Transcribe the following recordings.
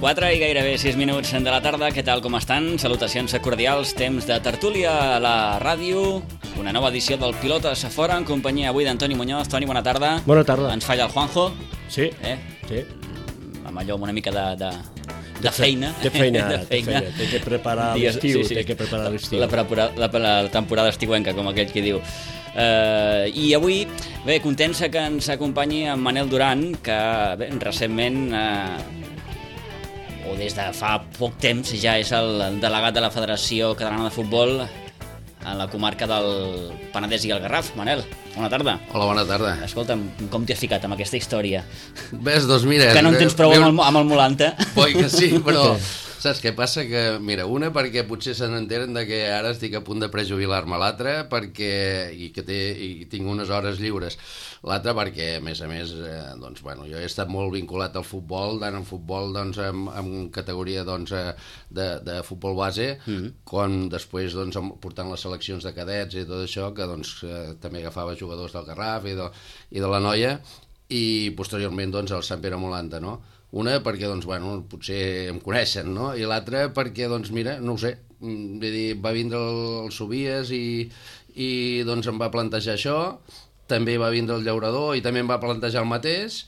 4 i gairebé 6 minuts de la tarda. Què tal, com estan? Salutacions cordials, temps de tertúlia a la ràdio. Una nova edició del Pilotes a Fora, en companyia avui d'Antoni Muñoz. Toni, bona tarda. Bona tarda. Ens falla el Juanjo. Sí, sí. Amb allò, amb una mica de feina. Té feina, té que preparar l'estiu, té que preparar l'estiu. La temporada estiuenca, com aquell qui diu. I avui, bé, contents que ens acompanyi en Manel Duran, que bé, recentment, o des de fa poc temps, ja és el delegat de la Federació Catalana de Futbol a la comarca del Penedès i el Garraf. Manel, bona tarda. Hola, bona tarda. Escolta'm, com t'hi has ficat amb aquesta història? Ves, doncs mira... Que no en tens prou amb el Molanta. Boi que sí, però... Saps què passa? Que, mira, una perquè potser se n'enteren de que ara estic a punt de prejubilar-me, l'altra perquè i tinc unes hores lliures, l'altra perquè, a més, doncs, bueno, jo he estat molt vinculat al futbol, tant en futbol doncs, en categoria doncs, de futbol base, com després doncs, portant les seleccions de cadets i tot això, que doncs, també agafava jugadors del Garraf i de la Noia, i posteriorment doncs, el Sant Pere Molanta, no? Una perquè, doncs, bueno, potser em coneixen, no? I l'altra perquè, doncs, mira, no ho sé, vull dir, va vindre el Sobies i doncs em va plantejar això, també va vindre el Llaurador i també em va plantejar el mateix,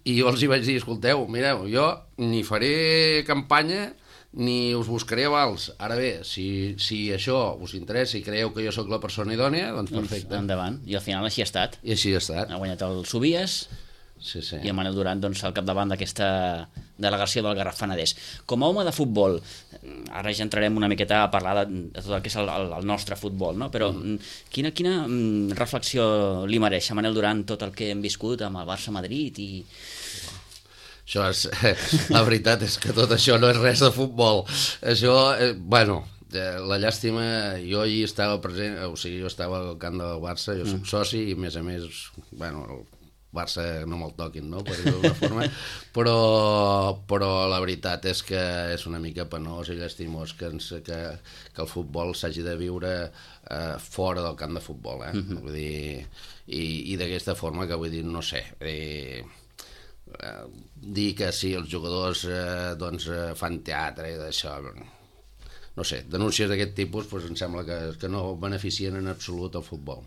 i jo els hi vaig dir, escolteu, mireu, jo ni faré campanya ni us buscaré avals. Ara bé, si això us interessa i creieu que jo sóc la persona idònia, doncs perfecte. Endavant. I al final així ha estat. I així ha estat. Ha guanyat el Sobies. Sí, sí. I el Manel Duran doncs, al capdavant d'aquesta delegació del Garraf Penedès. Com a home de futbol, ara ja entrarem una miqueta a parlar de tot el que és el nostre futbol, no? Però quina reflexió li mereix a Manel Duran tot el que hem viscut amb el Barça-Madrid i... Això és, la veritat és que tot això no és res de futbol. Això, bueno, la llàstima, jo hi estava present, o sigui, jo estava al camp del Barça, jo soc soci i a més, bueno, el Barça no me'l toquin, no?, per dir-ho d'una forma, però la veritat és que és una mica penós i llastimós que el futbol s'hagi de viure fora del camp de futbol, vull dir, i d'aquesta forma que vull dir, no sé, dir que sí, els jugadors doncs fan teatre i d'això, no sé, denúncies d'aquest tipus doncs em sembla que no beneficien en absolut el futbol.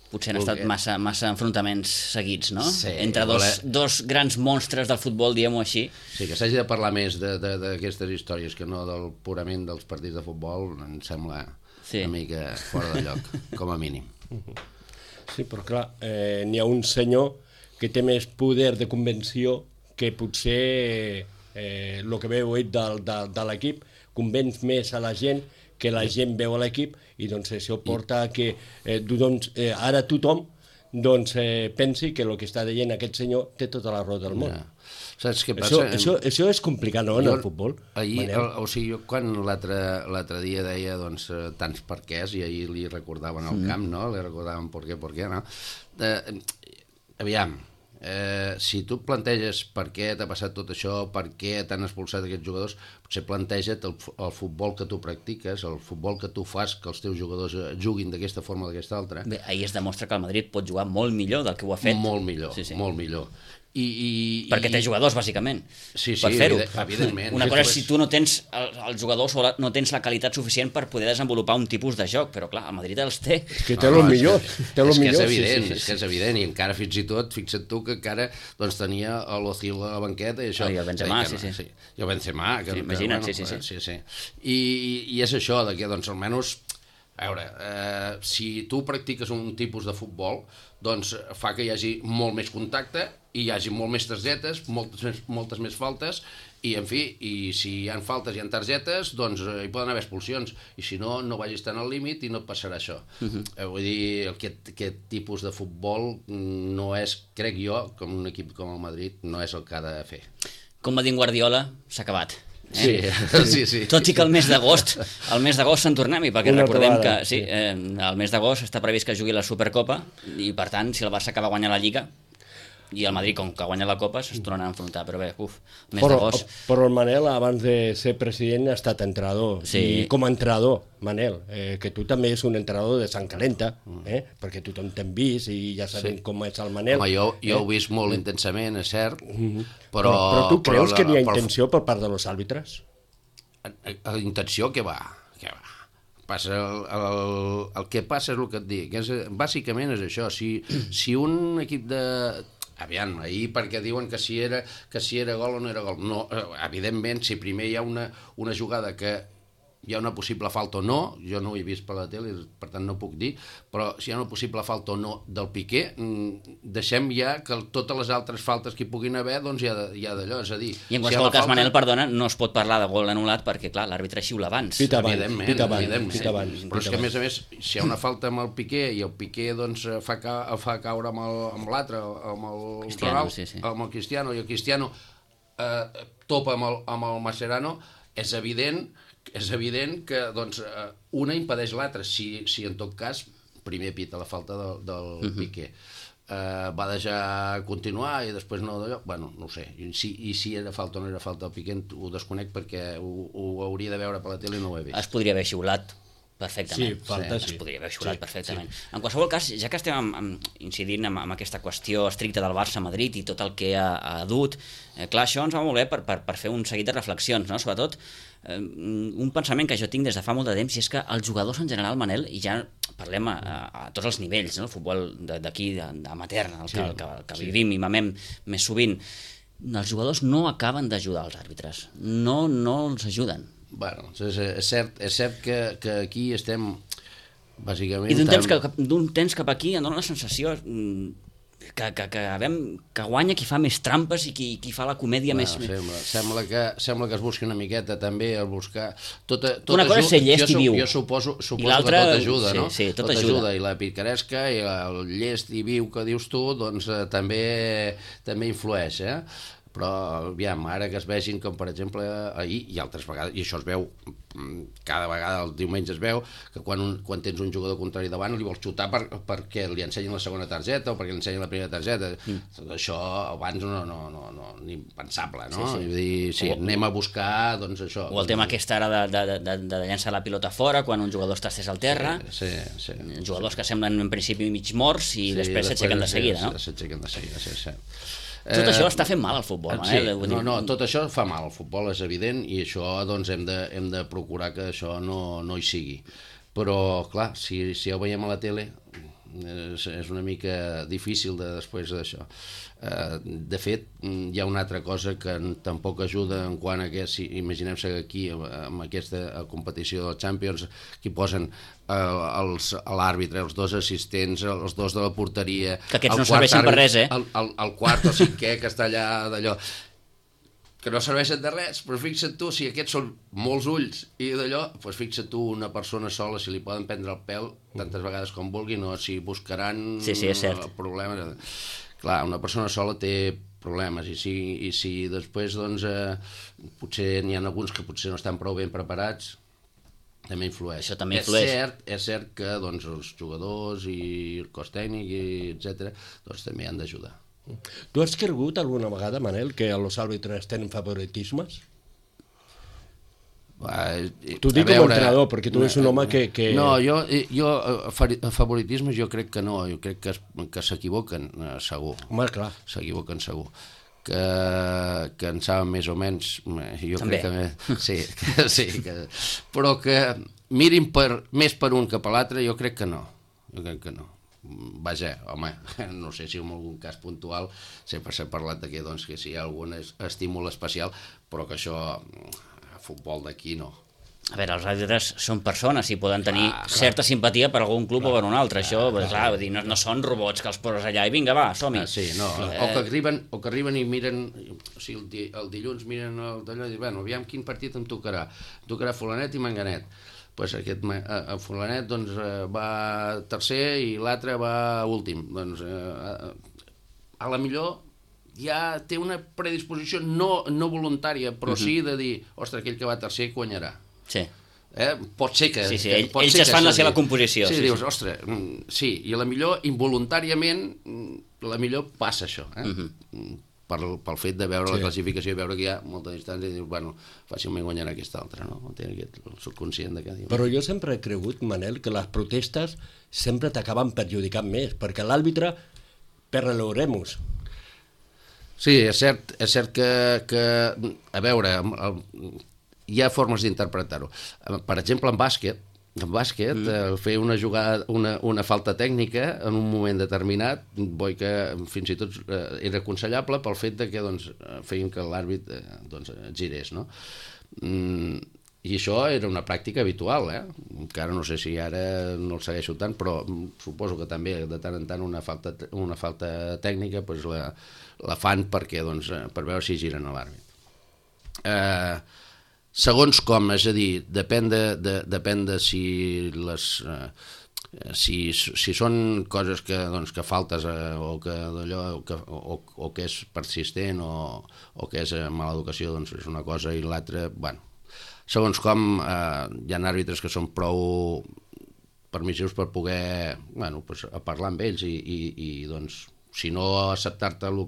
Potser han estat massa enfrontaments seguits, no? Sí, entre dos grans monstres del futbol, diguem-ho així. Sí, que s'hagi de parlar més d'aquestes històries que no del purament dels partits de futbol, em sembla una mica fora de lloc, com a mínim. Sí, però clar, n'hi ha un senyor que té més poder de convenció que potser el que veu ell de l'equip convenç més a la gent que la gent veu a l'equip i doncs això porta a que ara tothom pensi que el que està dient aquest senyor té tota la raó del món. Saps què passa? Això és complicat, no, en el futbol? Ahir, o sigui, jo quan l'altre dia deia doncs, tants perquès, i ahir li recordaven al camp, no? Li recordaven per què, no? Aviam, si tu planteges per què t'ha passat tot això, per què t'han expulsat aquests jugadors, potser planteja't el futbol que tu practiques, el futbol que tu fas que els teus jugadors juguin d'aquesta forma o d'aquesta altra. Bé, ahir es demostra que el Madrid pot jugar molt millor del que ho ha fet. Molt millor, molt millor. Perquè té jugadors, bàsicament, per fer-ho. Evidentment. Una cosa és si tu no tens els jugadors o no tens la qualitat suficient per poder desenvolupar un tipus de joc, però clar, el Madrid els té. És que té el millor. És que és evident, i encara fins i tot, fixa't tu que encara tenia l'Ozil a la banqueta i això. I el Benzema, sí. I el Benzema. Imagina't, sí. I és això, que doncs almenys, a veure, si tu practiques un tipus de futbol, doncs fa que hi hagi molt més contacte i hi hagi molt més targetes, moltes més faltes, i en fi, i si hi ha faltes i hi ha targetes, doncs hi poden haver expulsions, i si no, no vagis tan al límit i no et passarà això. Vull dir, aquest tipus de futbol no és, crec jo, com un equip com el Madrid, no és el que ha de fer. Com va dir Guardiola, s'ha acabat. Sí. Tot i que el mes d'agost se'n tornem-hi, perquè recordem que el mes d'agost està previst que jugui la Supercopa i per tant, si el Barça acaba guanyant la Lliga... i el Madrid, com que guanya la Copa, es tornen a enfrontar, però bé, més de gos. Però el Manel, abans de ser president, ha estat entrenador. Sí. I com a entrenador, Manel, que tu també és un entrenador de sang calenta, perquè tothom t'hem vist i ja sabem com és el Manel. Home, jo ho he vist molt intensament, és cert, Però tu creus que n'hi ha intenció per part dels àrbitres? Intenció, què va? Passa el que passa és el que et dic. Bàsicament és això. Si un equip de... Aviam, ahir perquè diuen que si era gol o no era gol. No, evidentment, si primer hi ha una jugada que hi ha una possible falta o no, jo no ho he vist per la tele, per tant no puc dir, però si hi ha una possible falta o no del Piqué, deixem ja que totes les altres faltes que hi puguin haver, doncs hi ha d'allò, és a dir... I en qualsevol cas, Manel, perdona, no es pot parlar de gol anul·lat perquè, clar, l'àrbitre xiula abans. Pita abans. Però és que, a més, si hi ha una falta amb el Piqué i el Piqué doncs, fa caure amb l'altre, amb el Ronaldo, amb el Cristiano, i el Cristiano topa amb el Mascherano, és evident que doncs, una impedeix l'altra. Si en tot cas primer pita la falta del Piqué, va deixar continuar i després no d'allò, bueno, no ho sé, i si era falta o no era falta del Piqué ho desconec perquè ho hauria de veure per la tele i no ho he vist. Es podria haver xiulat perfectament. Sí. Es podria haver xiulat perfectament. En qualsevol cas, ja que estem incidint en aquesta qüestió estricta del Barça-Madrid i tot el que ha dut, clar, això ens va molt bé per fer un seguit de reflexions, no? Sobretot un pensament que jo tinc des de fa molt de temps, i és que els jugadors en general, Manel, i ja parlem a tots els nivells, no? El futbol d'aquí, amateur, el que vivim i mamem més sovint, els jugadors no acaben d'ajudar els àrbitres, no els ajuden. Bueno, és cert que aquí estem bàsicament... I d'un temps cap aquí em dóna la sensació que guanya qui fa més trampes i qui fa la comèdia més... Sembla que es busqui una miqueta també, el buscar... Una cosa és ser llest i viu. Jo suposo que tot ajuda, no? Sí, tot ajuda. I la picaresca i el llest i viu que dius tu, doncs també influeix, Però, aviam, ara que es vegin com, per exemple, ahir i altres vegades, i això es veu, cada vegada el diumenge es veu, que quan tens un jugador contrari davant li vols xutar perquè li ensenyin la segona targeta o perquè li ensenyin la primera targeta. Això abans no ni pensable, no? Sí. Vull dir, anem a buscar, doncs això. O el tema aquest ara de llançar la pilota fora quan un jugador està estès al terra. Sí. Jugadors que semblen en principi mig morts i després s'aixequen de seguida, no? S'aixequen de seguida, sí. Tot això està fent mal al futbol, Manel. No, tot això fa mal al futbol, és evident, i això doncs hem de procurar que això no hi sigui. Però, clar, si ho veiem a la tele, és una mica difícil després d'això. De fet, hi ha una altra cosa que tampoc ajuda en quant a que, si imaginem-se que aquí, amb aquesta competició del Champions, que posen l'àrbitre, els dos assistents, els dos de la porteria... Que aquests no serveixen per res, el quart o cinquè que està allà d'allò... que no serveixen de res, però fixa't tu, si aquests són molts ulls i d'allò, doncs fixa't tu, una persona sola, si li poden prendre el pèl tantes vegades com vulguin, o si buscaran problemes. Clar, una persona sola té problemes, i si després, doncs, potser n'hi ha alguns que potser no estan prou ben preparats, també influeix. Això també influeix. És cert que doncs, els jugadors i el cos tècnic, etc., doncs també han d'ajudar. Tu has cregut alguna vegada, Manel, que els àrbitres tenen favoritismes? T'ho dic com a entrenador, perquè tu ets un home que... No, jo favoritismes jo crec que no, jo crec que s'equivoquen, segur. Home, clar. S'equivoquen, segur. Que en saben més o menys, jo també. Crec que... Sí, però que mirin més per un que per l'altre, jo crec que no. Vaja, home, no sé si en algun cas puntual sempre s'ha parlat de que si hi ha algun estímul especial, però que això a futbol d'aquí no. A veure, els àrbitres són persones i poden tenir certa simpatia per algun club o per un altre. Això, clar, vull dir, no són robots que els poses allà i vinga, va, som-hi. Sí, no, o que arriben i miren, o sigui, el dilluns miren d'allò i diuen, bueno, aviam quin partit em tocarà. Em tocarà fulanet i manganet. Pues aquest fulanet doncs, va tercer i l'altre va últim. Doncs, a la millor ja té una predisposició no voluntària, però sí de dir, ostres, aquell que va tercer guanyarà. Sí. Pot ser que... Sí, ells es fan la seva composició. Sí, dius, ostres, sí, i a la millor, involuntàriament, la millor passa això, pel fet de veure la classificació i veure que hi ha molta distància i dius, bueno, fàcilment guanyarà aquesta altra, no? El subconscient de cada dia. Però jo sempre he cregut, Manel, que les protestes sempre t'acaben perjudicant més, perquè l'àrbitre per l'oremus. Sí, és cert que a veure, hi ha formes d'interpretar-ho. Per exemple, en bàsquet, fer una jugada, una falta tècnica en un moment determinat, vull que fins i tot era aconsellable pel fet de que feien que l'àrbit girés, no? I això era una pràctica habitual, encara no sé si ara no el segueixo tant, però suposo que també de tant en tant una falta tècnica la fan per veure si giren a l'àrbit. Segons com, és a dir, depèn de si són coses que faltes o que és persistent o que és mala educació, doncs és una cosa i l'altra, bueno, segons com hi ha àrbitres que són prou permissius per poder parlar amb ells i doncs, si no acceptar-te la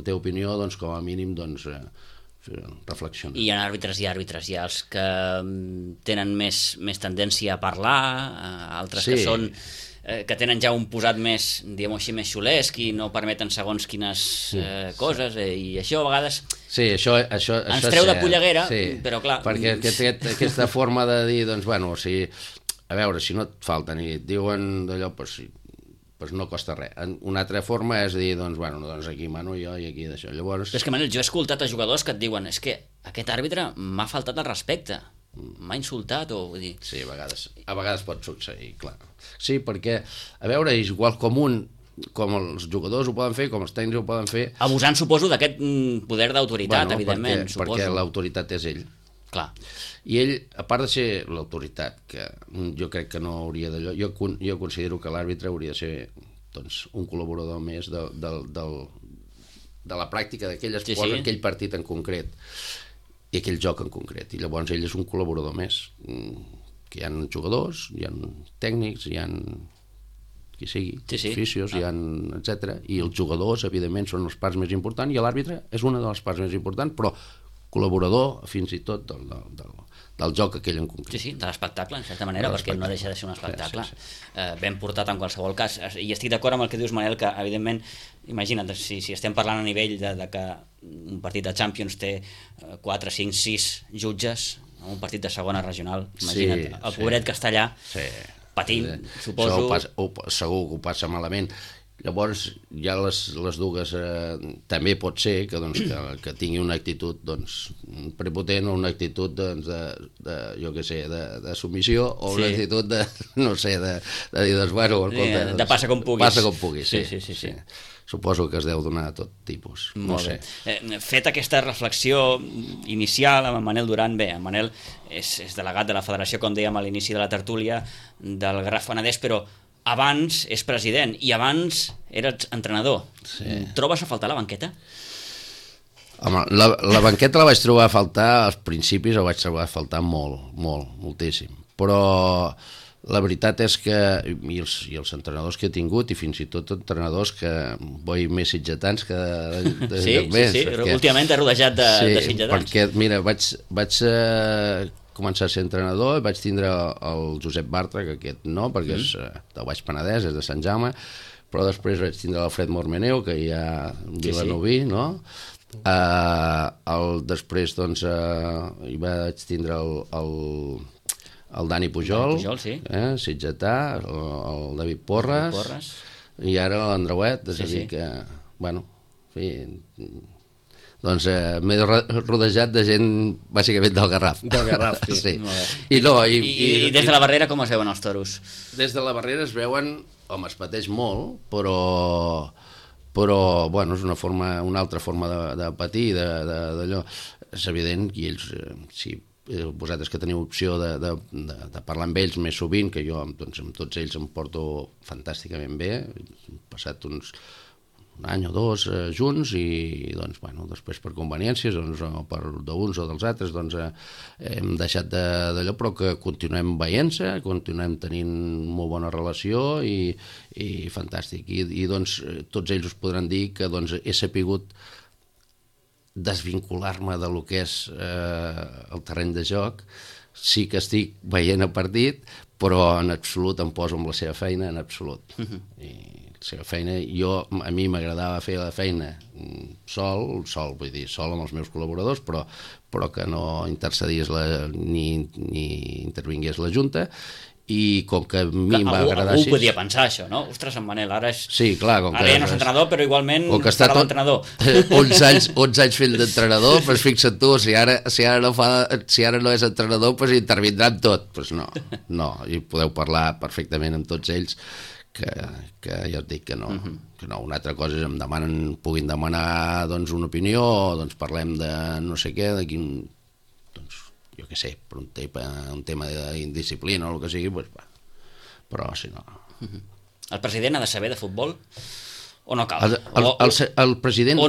teva opinió, doncs com a mínim reflexiona. I hi ha àrbitres i àrbitres, hi ha els que tenen més tendència a parlar, altres que són que tenen ja un posat més, diguem-ho així, més xulesc i no permeten segons quines coses, i això a vegades ens treu de polleguera, però clar... Perquè aquesta forma de dir, doncs, bueno, a veure, si no et falten i et diuen d'allò, doncs no costa res. Una altra forma és dir, doncs aquí mano jo i aquí d'això. Llavors... Però és que, Manel, jo he escoltat a jugadors que et diuen és que aquest àrbitre m'ha faltat el respecte, m'ha insultat o... Vull dir... Sí, a vegades pot succeir, clar. Sí, perquè, a veure, és igual com els jugadors ho poden fer, com els tècnics ho poden fer... Abusant, suposo, d'aquest poder d'autoritat, evidentment, suposo. Perquè l'autoritat és ell. Clar. I ell, a part de ser l'autoritat, que jo crec que no hauria d'allò, jo considero que l'àrbitre hauria de ser un col·laborador més de la pràctica d'aquell esport, aquell partit en concret i aquell joc en concret. I llavors ell és un col·laborador més, que hi ha jugadors, hi ha tècnics, hi ha qui sigui, oficios, etc. I els jugadors, evidentment, són les parts més importants i l'àrbitre és una de les parts més importants, però col·laborador fins i tot del joc aquell en concret. Sí, de l'espectacle, en certa manera, perquè no deixa de ser un espectacle ben portat en qualsevol cas. I estic d'acord amb el que dius, Manel, que evidentment, imagina't, si estem parlant a nivell de que un partit de Champions té 4, 5, 6 jutges, un partit de segona regional, imagina't, el pobret que està allà patint, suposo... Segur que ho passa malament. Llavors, ja les dues també pot ser que tingui una actitud prepotent o una actitud de submissió o una actitud de dir, bueno, de passa com puguis. Passa com puguis, sí. Suposo que es deu donar tot tipus. No sé. Fet aquesta reflexió inicial amb en Manel Duran, bé, en Manel és delegat de la federació, com dèiem a l'inici de la tertúlia, del Garraf Penedès, però abans és president i abans eres entrenador. Trobes a faltar la banqueta? Home, la banqueta la vaig trobar a faltar als principis, la vaig trobar a faltar moltíssim. Però la veritat és que i els entrenadors que he tingut, i fins i tot entrenadors que vull més sitgetans que sí, últimament he rodejat de sitgetans. Perquè, mira, vaig començar a ser entrenador, vaig tindre el Josep Bartra, que aquest no, perquè és del Baix Penedès, és de Sant Jaume, però després vaig tindre l'Alfred Mormeneu, que hi ha vilanoví, no? Després, doncs, hi vaig tindre el Dani Pujol, sitgetà, el David Porres, i ara l'Andreuet, és a dir que, bueno, en fi... Doncs m'he rodejat de gent bàsicament del Garraf. Del Garraf, sí. I des de la barrera com es veuen els toros? Des de la barrera es veuen, home, es pateix molt, però bueno, és una altra forma de patir, d'allò. És evident, i ells, si vosaltres que teniu opció de parlar amb ells més sovint, que jo amb tots ells em porto fantàsticament bé, he passat un any o dos junts i doncs, bueno, després per conveniències doncs, o per d'uns o dels altres doncs, hem deixat d'allò, però que continuem veient-se, continuem tenint molt bona relació i fantàstic. I doncs tots ells us podran dir que doncs, he sapigut desvincular-me de lo que és el terreny de joc. Sí que estic veient el partit, però en absolut em poso amb la seva feina, en absolut. I la seva feina, a mi m'agradava fer la feina sol, vull dir, sol amb els meus col·laboradors, però que no intercedís ni intervingués la Junta, i com que a mi em va agradar així... Algú podia pensar això, no? Ostres, en Manel, ara és... Sí, clar, com que... Ara ja no és entrenador, però igualment farà l'entrenador. 11 anys fent d'entrenador, doncs fixa't tu, si ara no és entrenador, doncs intervindrà en tot. Doncs no, i podeu parlar perfectament amb tots ells, que ja us dic que no. Que no. Una altra cosa és que puguin demanar doncs, una opinió, o doncs parlem de no sé què, de quin... jo què sé, per un tema d'indisciplina o el que sigui, doncs, però si no... El president ha de saber de futbol o no cal? El president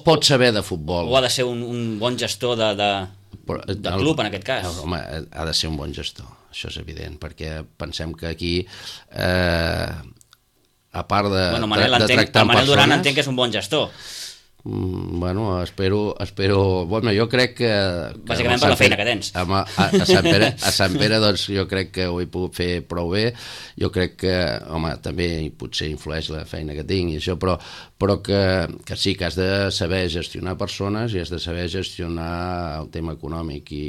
pot saber de futbol. O ha de ser un bon gestor de club, en aquest cas? Home, ha de ser un bon gestor, això és evident, perquè pensem que aquí, a part de tractar amb persones... El Manel Duran entenc que és un bon gestor. Bueno, espero... Bueno, jo crec que... Bàsicament per la feina que tens. A Sant Pere, doncs, jo crec que ho he pogut fer prou bé. Jo crec que, home, també potser influeix la feina que tinc i això, però que sí, que has de saber gestionar persones i has de saber gestionar el tema econòmic i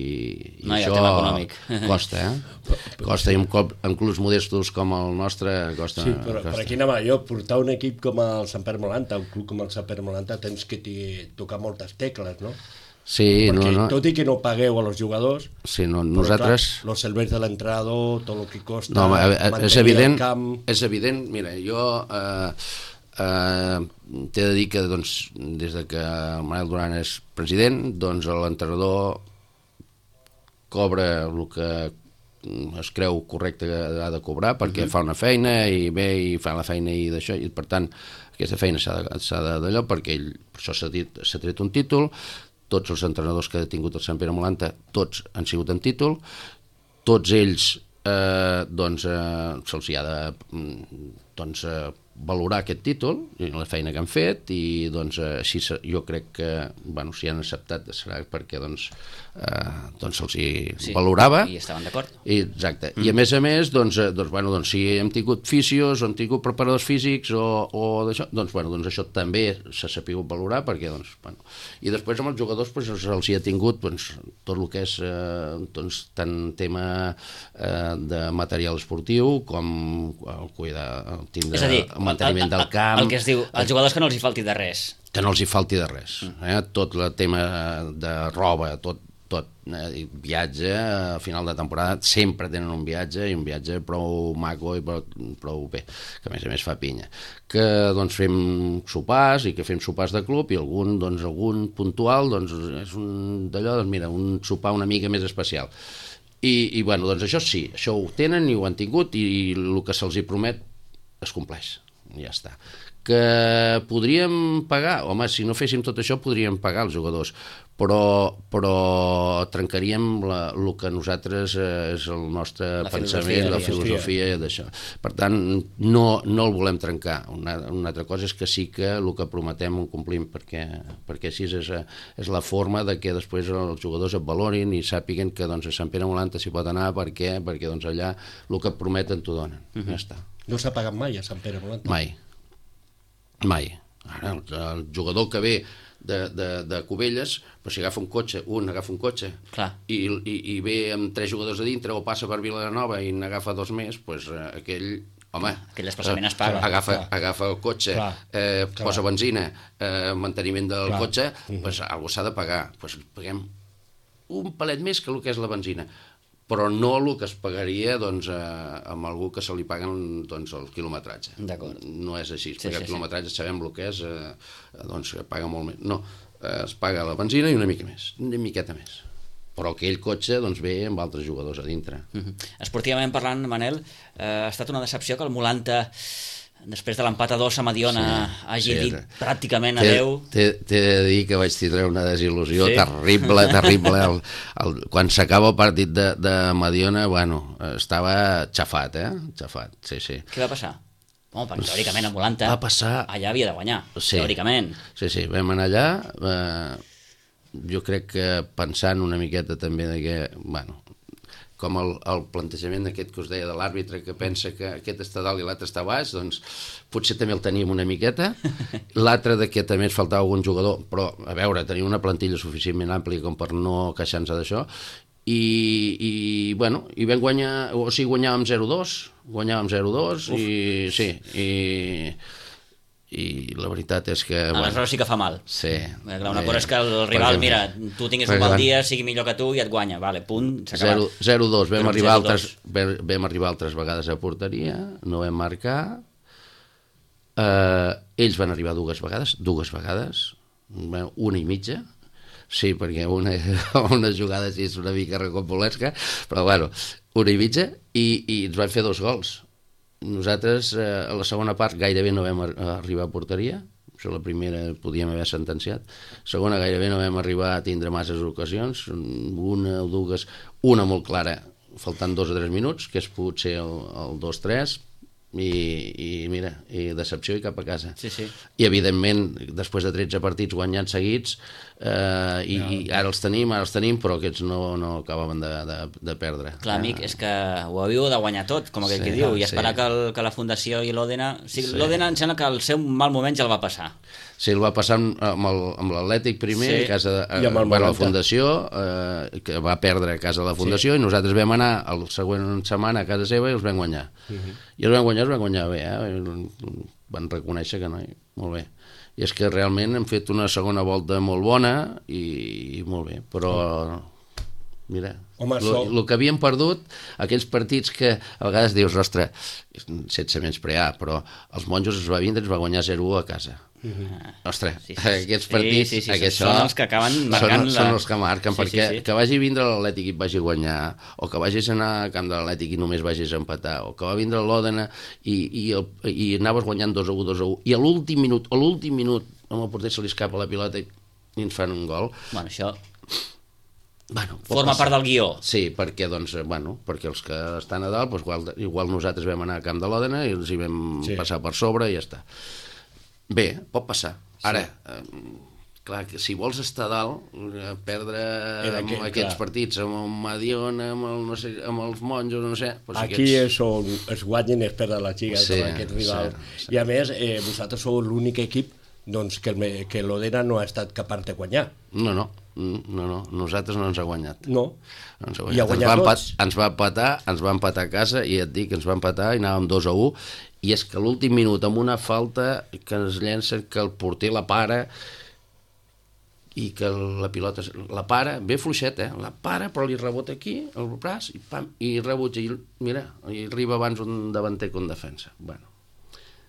això el tema econòmic. Costa, costa, i en clubs modestos com el nostre costa. Sí, però per aquí anava jo, portar un equip com el Sant Pere Molanta, un club com el Sant Pere Molanta, tens que tocar moltes tecles, no? Sí, perquè tot i que no pagueu a los jugadors, sí, nosaltres... Clar, los serveis de l'entrenador, tot el que costa, no, mantenir el camp... És evident, mira, jo t'he de dir que doncs, des de que el Manel Duran és president, doncs l'entrenador cobra el que es creu correcte que ha de cobrar, perquè fa una feina i ve i fa la feina i d'això, i per tant aquesta feina s'ha d'allò, perquè ell per això s'ha tret un títol. Tots els entrenadors que ha tingut el Sant Pere Molanta, tots han sigut en títol, tots ells doncs se'ls ha de valorar aquest títol i la feina que han fet, i doncs així jo crec que, bueno, si han acceptat serà perquè doncs se'ls valorava i estaven d'acord. Exacte, i a més doncs si hem tingut fisios o hem tingut preparadors físics o d'això, doncs això també s'ha sabut valorar, perquè i després amb els jugadors se'ls hi ha tingut tot el que és tant tema de material esportiu com el cuidar, tindre el manteniment del camp, el que es diu, als jugadors que no els hi falti de res, que no els hi falti de res, tot el tema de roba, tot, viatge a final de temporada, sempre tenen un viatge, i un viatge prou maco i prou bé, que a més fa pinya, que doncs fem sopars, i que fem sopars de club, i algun puntual és un d'allò, mira, un sopar una mica més especial, i bueno, doncs això sí, això ho tenen i ho han tingut, i el que se'ls hi promet es compleix, ja està. Que podríem pagar, home, si no féssim tot això podríem pagar els jugadors, però trencaríem el que nosaltres és el nostre pensament, la filosofia d'això. Per tant, no el volem trencar. Una altra cosa és que sí que el que prometem ho complim, perquè així és la forma de que després els jugadors et valorin i sàpiguen que a Sant Pere Molanta s'hi pot anar, perquè allà el que et prometen t'ho donen. Ja està. No s'ha pagat mai a Sant Pere Molanta? Mai. Ara, el jugador que ve de Cubelles, però si agafa un cotxe, i ve amb 3 jugadors a dintre, o passa per Vilanova i n'agafa 2 més, doncs aquell desplaçament es paga. Agafa el cotxe, posa benzina, manteniment del cotxe, doncs algú s'ha de pagar. Doncs paguem un palet més que el que és la benzina, però no el que es pagaria amb algú que se li paguen el quilometratge. No és així, perquè el quilometratge sabem el que és, que paga molt més. No, es paga la benzina i una miqueta més. Però aquell cotxe ve amb altres jugadors a dintre. Esportivament parlant, Manel, ha estat una decepció que el Molanta després de l'empat a 2 a Mediona hagi dit pràcticament T'he adeu. de dir que vaig tindre una desil·lusió terrible. Quan s'acaba el partit de Mediona, bueno, estava xafat, xafat, sí. Què va passar? Home, perquè teòricament a Volanta allà havia de guanyar, teòricament. Sí, vam anar allà, jo crec que pensant una miqueta també de que, bueno, com el plantejament d'aquest que us deia de l'àrbitre, que pensa que aquest està dalt i l'altre està baix, doncs potser també el teníem una miqueta. L'altre de que també ens faltava algun jugador, però a veure, tenia una plantilla suficientment àmplia com per no queixar-nos d'això, i bueno, i vam guanyar, o sigui, guanyàvem 0-2 i la veritat és que... Aleshores sí que fa mal. Sí. Una cosa és que el rival, mira, tu tingues un mal dia, sigui millor que tu i et guanya, vale, punt, s'ha acabat. 0-2, vam arribar altres vegades a porteria, no vam marcar, ells van arribar dues vegades, una i mitja, sí, perquè una jugada així és una mica rocambolesca, però bueno, una i mitja, i ens van fer 2 gols. Nosaltres a la segona part gairebé no vam arribar a porteria, això la primera podíem haver sentenciat, segona gairebé no vam arribar a tindre masses ocasions, una o dues, una molt clara faltant 2 o 3 minuts, que és potser el 2-3, i mira, i decepció i cap a casa. Sí. I evidentment després de 13 partits guanyats seguits i ara els tenim, però aquests no acabaven de perdre. Clar, amic, és que ho havíeu de guanyar tot, com aquell que diu, i esperar que la Fundació i l'Òdena... L'Òdena em sembla que el seu mal moment ja el va passar. Sí, el va passar amb l'Atlètic primer, a casa de la Fundació, que va perdre a casa de la Fundació, i nosaltres vam anar la següent setmana a casa seva i els vam guanyar. I els vam guanyar bé, van reconèixer que no, molt bé. I és que realment hem fet una segona volta molt bona i molt bé, però mira, el que havíem perdut, aquells partits que a vegades dius, ostres, sense menysprear, però els monjos es va vindre i ens va guanyar 0-1 a casa. Ostres, aquests partits són els que acaben marcant són els que marquen, perquè que vagi a vindre l'Atlètic i et vagi a guanyar, o que vagis a anar al camp de l'Atlètic i només vagis a empatar, o que va vindre l'Òdena i anaves guanyant 2-1, i a l'últim minut amb el porter se li escapa la pilota i ens fan un gol. Bueno, això forma part del guió. Sí, perquè perquè els que estan a dalt, igual nosaltres vam anar al camp de l'Òdena i els hi vam passar per sobre i ja està. Bé, pot passar. Ara, clar, que si vols estar dalt, perdre aquests partits amb el Mediona, amb els monjos, no sé... Aquí és on es guanyen i es perden les lligues amb aquest rival. I a més, vosaltres sou l'únic equip que l'Òdena no ha estat capaç de guanyar. No, nosaltres no ens ha guanyat. No, i ha guanyat tots. Ens va empatar a casa, i et dic, ens va empatar i anàvem 2-1, i és que l'últim minut amb una falta que ens llencen, que el porter la para i que la pilota la para, bé fluixeta, la para però li rebota aquí el braç i pam, i rebutja, i mira, i arriba abans un davanter que un defensa. Bueno,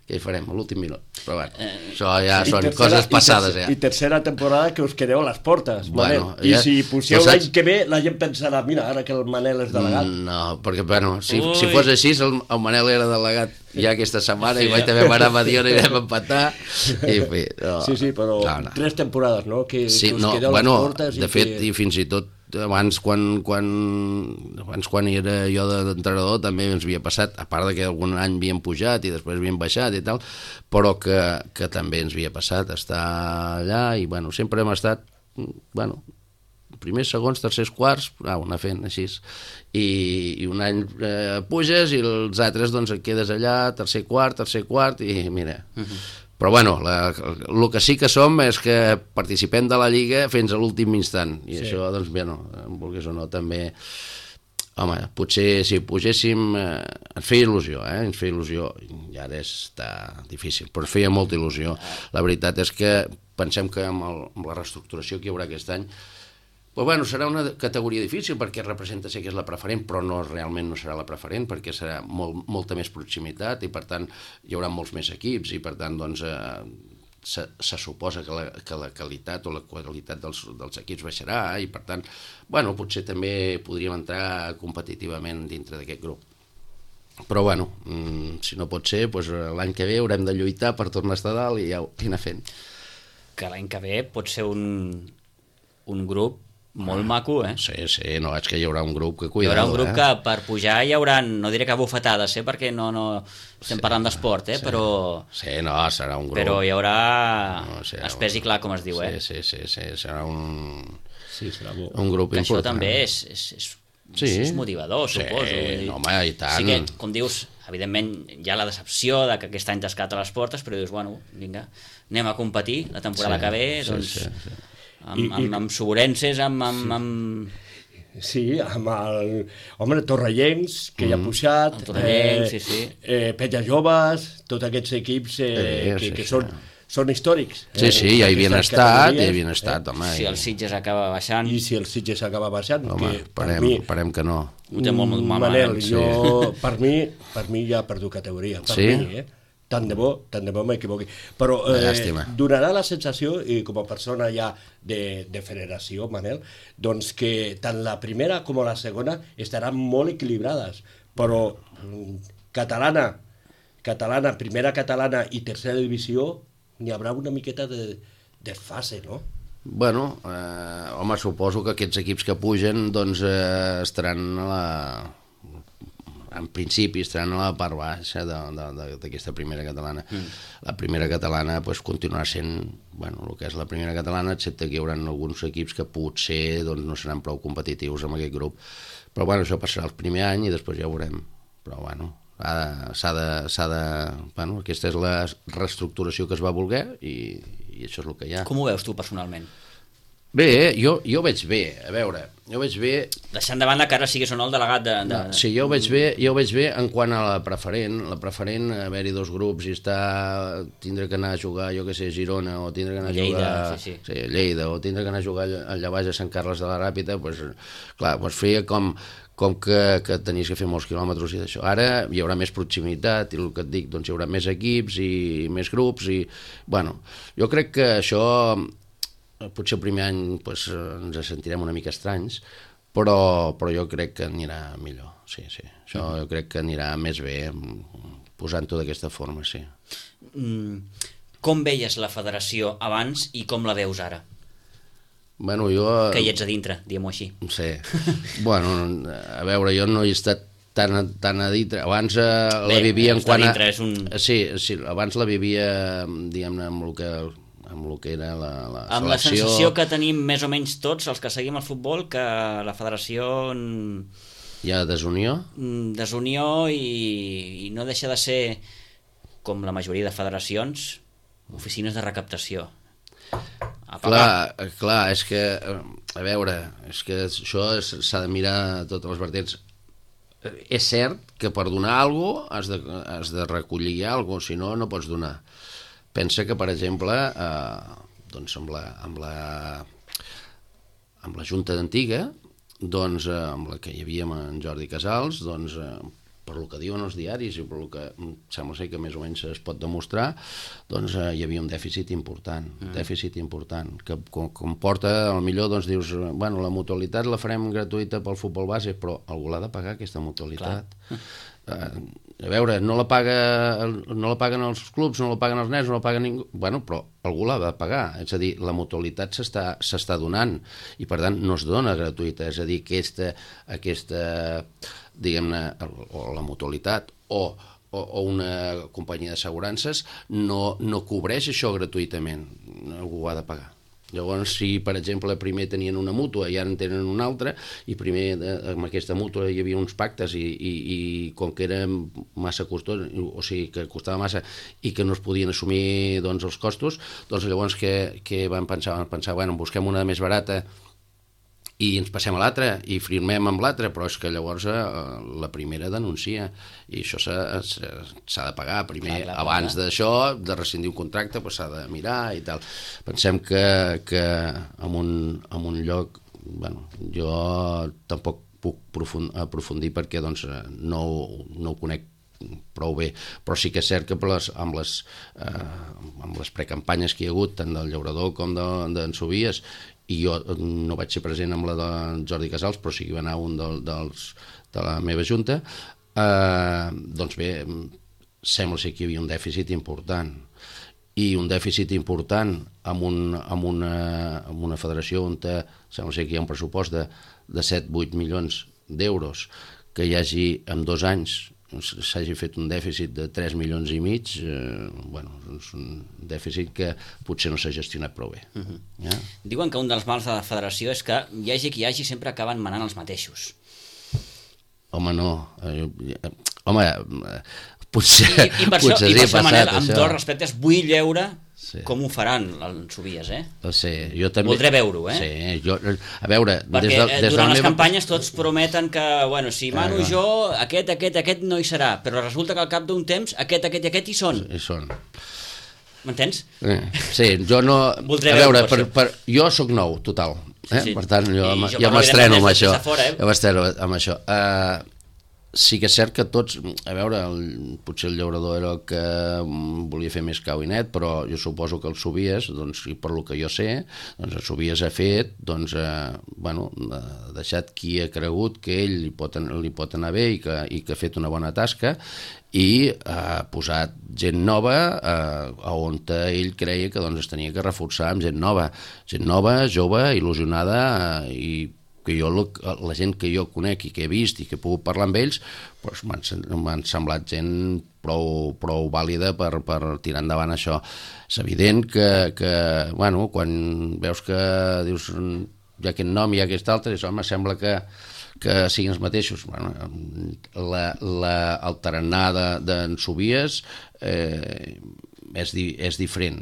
què hi farem a l'últim minut? Però bueno, això ja són coses passades. I tercera temporada que us quedeu a les portes, Manel. I si pusieu l'any que ve, la gent pensarà, mira, ara que el Manel és delegat. No, perquè, bueno, si fos així, el Manel era delegat ja aquesta setmana i vaig també anar a Mediona i vam empatar. Sí, però 3 temporades, no? Que us quedeu a les portes. De fet, i fins i tot abans quan era jo d'entrenador també ens havia passat, a part que algun any havíem pujat i després havíem baixat i tal, però que també ens havia passat estar allà i bueno, sempre hem estat primers, segons, tercers, quarts, anar fent així, i un any puges i els altres doncs et quedes allà, tercer quart i mira... Però bueno, el que sí que som és que participem de la Lliga fins a l'últim instant, i això, doncs, bé, vulguis o no, també, home, potser si pugéssim, ens feia il·lusió, i ara està difícil, però feia molta il·lusió. La veritat és que pensem que amb la reestructuració que hi haurà aquest any, però bueno, serà una categoria difícil perquè representa ser que és la preferent, però realment no serà la preferent perquè serà molta més proximitat i per tant hi haurà molts més equips i per tant doncs se suposa que la qualitat o la qualitat dels equips baixarà i per tant, bueno, potser també podríem entrar competitivament dintre d'aquest grup. Però bueno, si no pot ser, doncs l'any que ve haurem de lluitar per tornar a estar dalt i anar fent. Que l'any que ve pot ser un grup molt maco, eh? Sí, no, és que hi haurà un grup que Hi cuidado. haurà un grup que per pujar hi haurà, no diré que bufetades, perquè no estem parlant d'esport, però... Sí, no, serà un grup. Però hi haurà serà espès i clar, com es diu, Sí, serà un grup que important. això també és motivador, suposo. Sí, home, i tant. Sí que, com dius, evidentment hi ha la decepció de que aquest any t'has a les portes, però dius, bueno, vinga, anem a competir la temporada que ve, doncs... Amb Soborenses, amb... Sí, amb el... Home, Torrellencs, que ja ha pujat, Pella Joves, tots aquests equips que són històrics. Sí, ja hi havien estat, home. Si el Sitges acaba baixant... I si el Sitges acaba baixant... Home, esperem que no. Ho té molt malament. Manel, per mi ja ha perdut categoria. Per mi, Tant de bo m'equivoqui. Però donarà la sensació, i com a persona ja de federació, Manel, doncs que tant la primera com la segona estaran molt equilibrades, però catalana, primera catalana i tercera divisió, n'hi haurà una miqueta de fase, no? Bueno, home, suposo que aquests equips que pugen doncs estaran en principi estaran a la part baixa d'aquesta primera catalana. La primera catalana continuarà sent el que és la primera catalana, excepte que hi haurà alguns equips que potser no seran prou competitius amb aquest grup. Però això passarà el primer any i després ja ho veurem. Però aquesta és la reestructuració que es va voler i això és el que hi ha. Com ho veus tu personalment? Bé, jo ho veig bé, a veure, Deixant de banda que ara siguis o no el delegat de... Sí, jo ho veig bé en quant a la preferent, haver-hi dos grups i tindre que anar a jugar, jo que sé, Girona, o tindre que anar a jugar Lleida, o tindre que anar a jugar allà baix a Sant Carles de la Ràpita, feia com que tenies que fer molts quilòmetres i d'això. Ara hi haurà més proximitat i el que et dic, hi haurà més equips i més grups i, jo crec que això... Potser el primer any ens sentirem una mica estranys, però jo crec que anirà millor, sí. Això jo crec que anirà més bé posant-ho d'aquesta forma, sí. Com veies la federació abans i com la veus ara? Que hi ets a dintre, diguem-ho així. Sí. A veure, jo no he estat tan a dintre. Abans la vivia en quant a... Sí, abans la vivia, diguem-ne, amb el que era la selecció. Amb la sensació que tenim més o menys tots els que seguim el futbol, que la federació... Hi ha desunió? Desunió i no deixa de ser, com la majoria de federacions, oficines de recaptació. Clar, és que, a veure, és que això s'ha de mirar totes les vertents. És cert que per donar alguna cosa has de recollir alguna cosa, si no, no pots donar. Pensa que, per exemple, amb la Junta d'Antiga, amb la que hi havia en Jordi Casals, per el que diuen els diaris i per el que sembla ser que més o menys es pot demostrar, hi havia un dèficit important, que comporta, potser dius, la mutualitat la farem gratuïta pel futbol base, però algú l'ha de pagar, aquesta mutualitat. A veure, no la paguen els clubs, no la paguen els nens, no la paga ningú, però algú l'ha de pagar, és a dir, la mutualitat s'està donant i per tant no es dona gratuïta, és a dir, aquesta diguem-ne, o la mutualitat o una companyia d'assegurances no cobreix això gratuïtament, algú ho ha de pagar. Llavors, si, per exemple, primer tenien una mútua i ara en tenen una altra, i primer amb aquesta mútua hi havia uns pactes i com que era massa costós, o sigui, que costava massa i que no es podien assumir els costos, llavors que van pensar, busquem una més barata i ens passem a l'altra i firmem amb l'altra, però és que llavors la primera denuncia i això s'ha de pagar primer, abans d'això, de rescindir un contracte, s'ha de mirar i tal. Pensem que en un lloc, jo tampoc puc aprofundir perquè no ho conec prou bé, però sí que és cert que amb les precampanyes que hi ha hagut, tant del Llaurador com d'en Sobies, i jo no vaig ser present amb la de Jordi Casals, però sí que va anar un de la meva junta, doncs bé, sembla ser que hi havia un dèficit important, i un dèficit important amb una federació on sembla ser que hi ha un pressupost de 7-8 milions d'euros, que hi hagi en 2 anys s'hagi fet un dèficit de 3 milions i mig, és un dèficit que potser no s'ha gestionat prou bé. Ja? Diuen que un dels mals de la federació és que hi hagi qui hi hagi sempre acaben manant els mateixos. Home, no. Potser I per això, Manel, amb tots els respectes, vull veure com ho faran els Sobies, Sí, jo també... Voldré veure-ho, Sí, a veure... Perquè durant les campanyes tots prometen que, si mano jo, aquest no hi serà, però resulta que al cap d'un temps aquest i aquest hi són. Hi són. M'entens? Sí, jo no... Voldré veure, jo sóc nou, total. Per tant, jo m'estreno amb això. Jo m'estreno amb això. Sí que és cert que tots, a veure, potser el Llaurador era el que volia fer més cau i net, però jo suposo que el Sobies, doncs, i per lo que jo sé, doncs el Sobies ha fet, doncs, ha deixat qui ha cregut que ell li pot anar bé i que ha fet una bona tasca, i ha posat gent nova on ell creia que doncs, es tenia que reforçar amb gent nova, jove, il·lusionada, i que jo, la gent que jo conec i que he vist i que he pogut parlar amb ells, doncs m'han semblat gent prou vàlida per tirar endavant això. És evident que quan veus que dius hi ha aquest nom i hi ha aquest altre, home, sembla que siguin els mateixos. El tarannà d'en Sobies és diferent,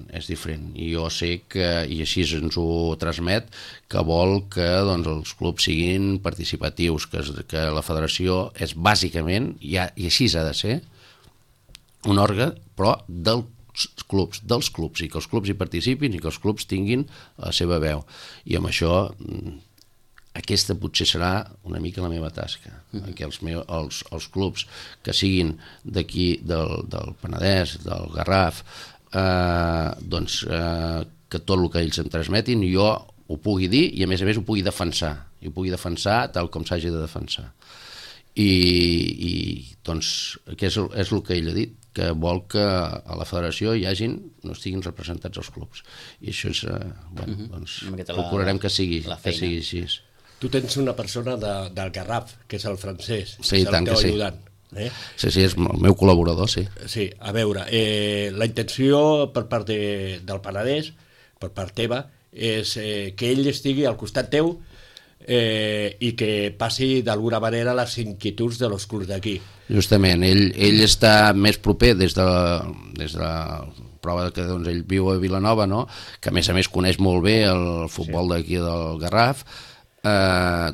i jo sé que, i així ens ho transmet, que vol que doncs, els clubs siguin participatius, que la federació és bàsicament, i així ha de ser, un òrgan, però dels clubs, i que els clubs hi participin i que els clubs tinguin la seva veu. I amb això aquesta potser serà una mica la meva tasca, que els clubs que siguin d'aquí, del Penedès, del Garraf, doncs que tot el que ells em transmetin jo ho pugui dir i a més ho pugui defensar tal com s'hagi de defensar. I doncs què és el que ell ha dit, que vol que a la federació no estiguin representats els clubs, i això és doncs procurarem que sigui així. Tu tens una persona del Garraf, que és el Francesc, sí, és el teu ajudant. Sí, és el meu col·laborador, sí. Sí, a veure, la intenció per part del Penedès, per part teva, és que ell estigui al costat teu i que passi d'alguna manera les inquietuds dels clubs d'aquí. Justament, ell està més proper des de la prova que doncs, ell viu a Vilanova, no? Que a més coneix molt bé el futbol d'aquí del Garraf,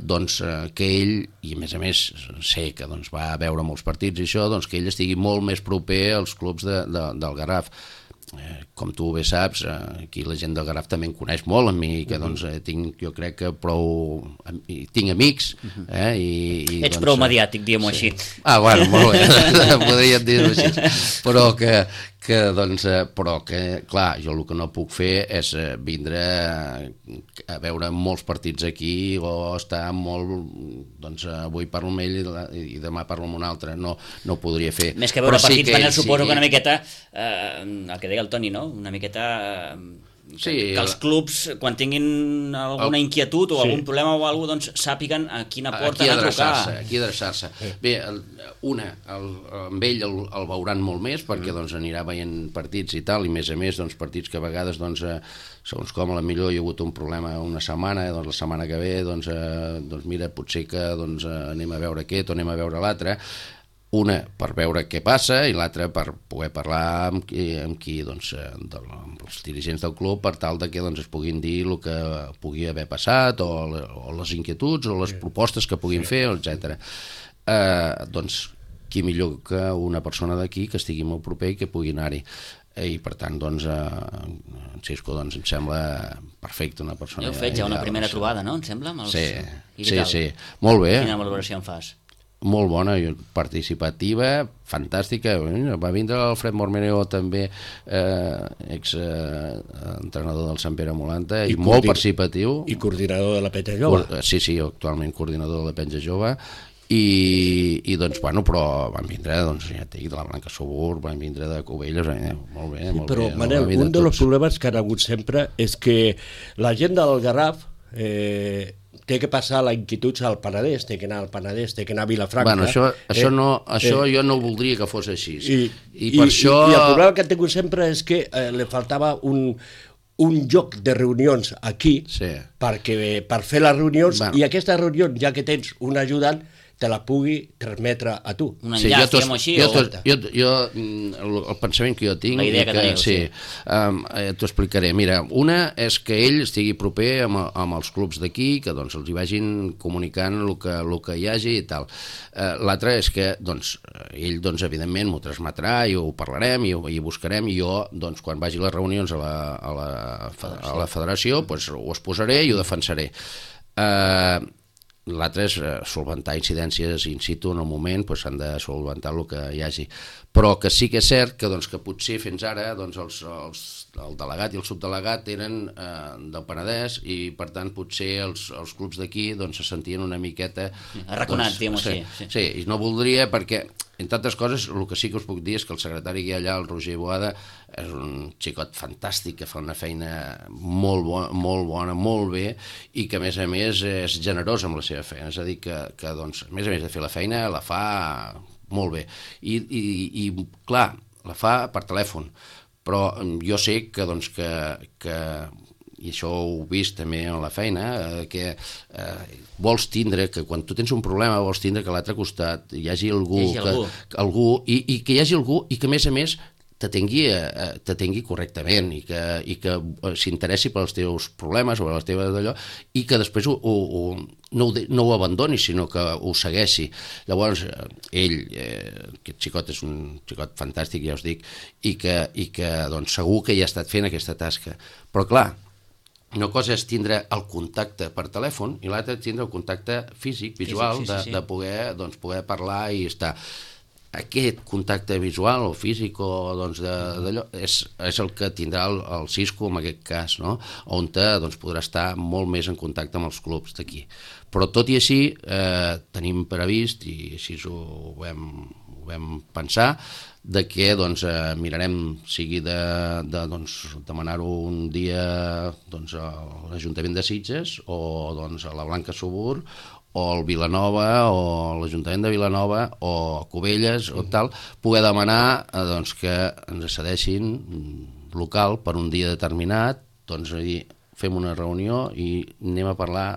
doncs que ell, i a més sé que doncs, va veure molts partits i això, doncs que ell estigui molt més proper als clubs del Garraf. Com tu bé saps, aquí la gent del Garraf també em coneix molt a mi, que doncs jo crec que tinc amics. Ets prou mediàtic, diguem-ho així. Bueno, molt bé, podríem dir-ho així. Però que, clar, jo el que no puc fer és vindre a veure molts partits aquí o estar molt, doncs avui parlo amb ell i demà parlo amb un altre, no ho podria fer. Més que veure partits, Manel, suposo que una miqueta, el que deia el Toni, no? Una miqueta... que els clubs, quan tinguin alguna inquietud o algun problema o alguna cosa, doncs sàpiguen a quina porta anar a trucar. Aquí adreçar-se. Bé, amb ell el veuran molt més perquè doncs, anirà veient partits i tal, i a més doncs, partits que a vegades doncs, segons com a la millor hi ha hagut un problema una setmana, doncs la setmana que ve doncs mira, potser que doncs, anem a veure aquest o anem a veure l'altre. Una per veure què passa i l'altra per poder parlar amb qui doncs, amb els dirigents del club per tal que doncs, es puguin dir el que pugui haver passat o les inquietuds o les propostes que puguin fer, etc. Doncs qui millor que una persona d'aquí que estigui molt proper i que pugui anar-hi. I per tant doncs en Xisco doncs em sembla perfecte, una persona. Heu fet ja una primera trobada, no? Em sembla? Sí, molt bé. Quina valoració en fas? Molt bona, participativa, fantàstica. Va vindre l'Alfred Mormeneo també, ex-entrenador del Sant Pere Molanta, i molt participatiu. I coordinador de la Penja Jove. Sí, actualment coordinador de la Penja Jove, i doncs, bueno, però van vindre, doncs, ja t'he dit, de la Blanca Subur, van vindre de Cubelles, molt bé, molt però, bé. Manel, un dels problemes que han hagut sempre és que la gent del Garraf té que passar la inquietud al Penedès, té que anar al Penedès, té que anar a Vilafranca. Bueno, això jo no voldria que fos així. I per això... I el problema que han tingut sempre és que li faltava un lloc de reunions aquí per fer les reunions, i aquestes reunions, ja que tens un ajudant, te la pugui transmetre a tu. Un enllaç, diguem-ho així? El pensament que jo tinc... La idea que teniu, sí. T'ho explicaré. Mira, una és que ell estigui proper amb els clubs d'aquí, que doncs els hi vagin comunicant el que hi hagi i tal. L'altra és que ell, evidentment, m'ho transmetrà i ho parlarem i ho buscarem, i jo, quan vagi a les reunions a la federació, ho exposaré i ho defensaré. L'altre és solventar incidències in situ en el moment, s'han de solventar el que hi hagi. Però que sí que és cert que potser fins ara el delegat i el subdelegat eren del Penedès, i per tant potser els clubs d'aquí se sentien una miqueta arraconats, diguem-ho així. Sí, i no voldria, perquè entre altres coses el que sí que us puc dir és que el secretari que hi ha allà, el Roger Boada, és un xicot fantàstic que fa una feina molt bona, molt bé, i que a més és generós amb la seva feina, és a dir que a més de fer la feina la fa molt bé, i clar, la fa per telèfon, però jo sé que i això ho he vist també en la feina, que vols tindre, que quan tu tens un problema vols tindre que a l'altre costat hi hagi algú, i que hi hagi algú i que a més t'atengui correctament, i que s'interessi pels teus problemes o les teves d'allò, i que després no ho abandoni, sinó que ho segueixi. Llavors, ell, aquest xicot és un xicot fantàstic, ja us dic, i que segur que ja ha estat fent aquesta tasca. Però clar, una cosa és tindre el contacte per telèfon i l'altra és tindre el contacte físic, visual, de poder parlar i estar. Aquest contacte visual o físic o d'allò és el que tindrà el Cisco en aquest cas, no? On podrà estar molt més en contacte amb els clubs d'aquí. Però tot i així tenim previst, i així ho vam pensar, de que mirarem, sigui de demanar-ho un dia a l'Ajuntament de Sitges o a la Blanca Subur o al Vilanova o l'Ajuntament de Vilanova o Cubelles o tal, poder demanar que ens cedeixin local per un dia determinat, fem una reunió i anem a parlar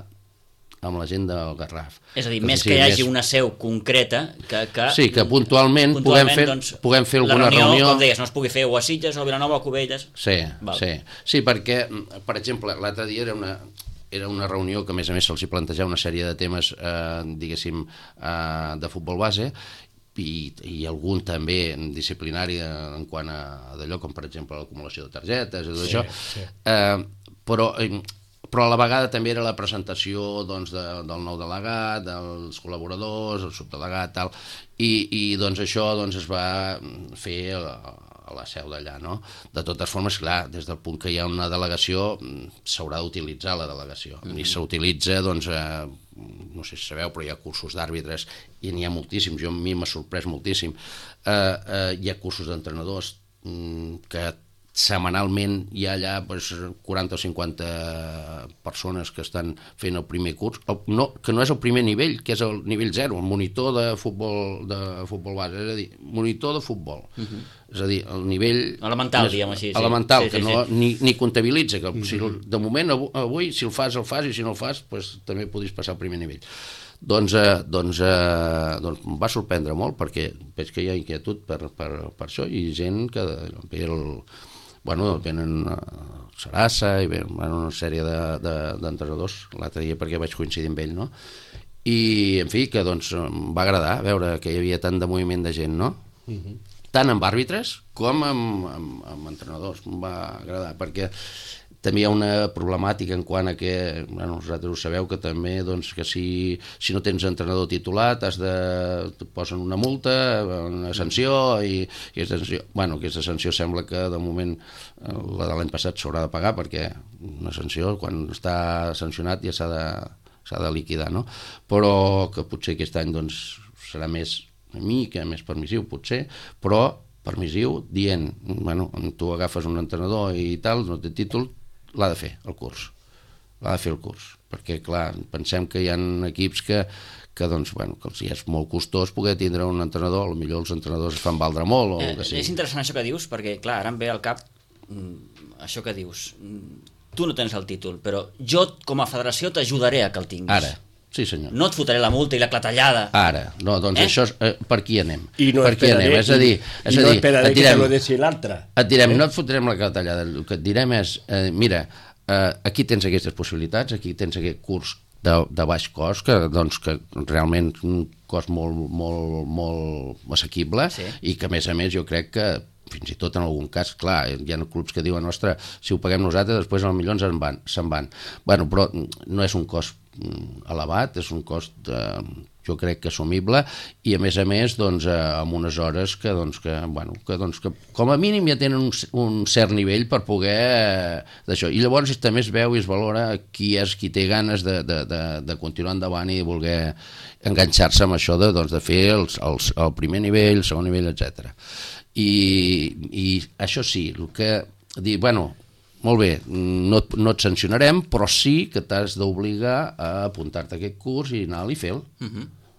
amb la gent del Garraf. És a dir, més que hi hagi una seu concreta que... Sí, que puntualment puguem fer alguna reunió... La reunió, com deies, no es pugui fer o a Sitges o a Vilanova o a Cubelles... Sí, perquè, per exemple, l'altre dia era una reunió que a més se'ls hi plantejava una sèrie de temes, diguéssim, de futbol base, i algun també disciplinari en quant a d'allò, com per exemple l'acumulació de targetes i tot això, però a la vegada també era la presentació del nou delegat, dels col·laboradors, el subdelegat, tal, i això es va fer a la seu d'allà, no? De totes formes, clar, des del punt que hi ha una delegació, s'haurà d'utilitzar la delegació, i s'utilitza, no sé si sabeu, però hi ha cursos d'àrbitres, i n'hi ha moltíssims, a mi m'ha sorprès moltíssim, hi ha cursos d'entrenadors que setmanalment hi ha allà 40 o 50 persones que estan fent el primer curs, que no és el primer nivell, que és el nivell 0, el monitor de futbol base, és a dir, monitor de futbol. És a dir, el nivell... Elemental, diguem així. Elemental, que ni comptabilitza, que de moment avui, si el fas, i si no el fas, també podries passar al primer nivell. Doncs va sorprendre molt, perquè veig que hi ha inquietud per això, i gent que ve venen a Sarassa i una sèrie d'entrenadors l'altre dia perquè vaig coincidir amb ell, no? I, en fi, que em va agradar veure que hi havia tant de moviment de gent, no? Tant amb àrbitres com amb entrenadors. Em va agradar, perquè també hi ha una problemàtica en quant a que, vosaltres ho sabeu, que també que si no tens entrenador titulat et posen una multa, una sanció, i aquesta sanció sembla que de moment la de l'any passat s'haurà de pagar, perquè una sanció, quan està sancionat, ja s'ha liquidar, no? Però que potser aquest any doncs, serà més una mica més permissiu, potser, però permissiu dient, bueno, tu agafes un entrenador i tal, no té títol, l'ha de fer el curs. L'ha de fer el curs. Perquè, clar, pensem que hi ha equips que doncs, bueno, que els és molt costós poder tindre un entrenador, potser els entrenadors es fan valdre molt o el que sigui. És interessant això que dius, perquè, clar, ara em ve al cap això que dius. Tu no tens el títol, però jo, com a federació, t'ajudaré a que el tinguis. Ara, sí senyor. No et fotré la multa i la clatellada. Ara, no, doncs això és, per qui anem? I no esperaré, no esperaré que te lo deixi l'altre. Et direm, no et fotrem la clatellada, el que et direm és, mira, aquí tens aquestes possibilitats, aquí tens aquest curs de baix cost, doncs, que realment és un cost molt assequible, sí. I que a més jo crec que fins i tot en algun cas, clar, hi ha clubs que diuen, ostres, si ho paguem nosaltres després potser se'n van. Bueno, però no és un cost elevat, és un cost jo crec que assumible, i a més doncs, amb unes hores que com a mínim ja tenen un cert nivell per poder d'això, i llavors també es veu i es valora qui té ganes de continuar endavant i voler enganxar-se amb això de fer el primer nivell, el segon nivell, etc. I això sí, el que dir, bueno, molt bé, no et sancionarem, però sí que t'has d'obligar a apuntar-te a aquest curs i anar-hi a fer-lo.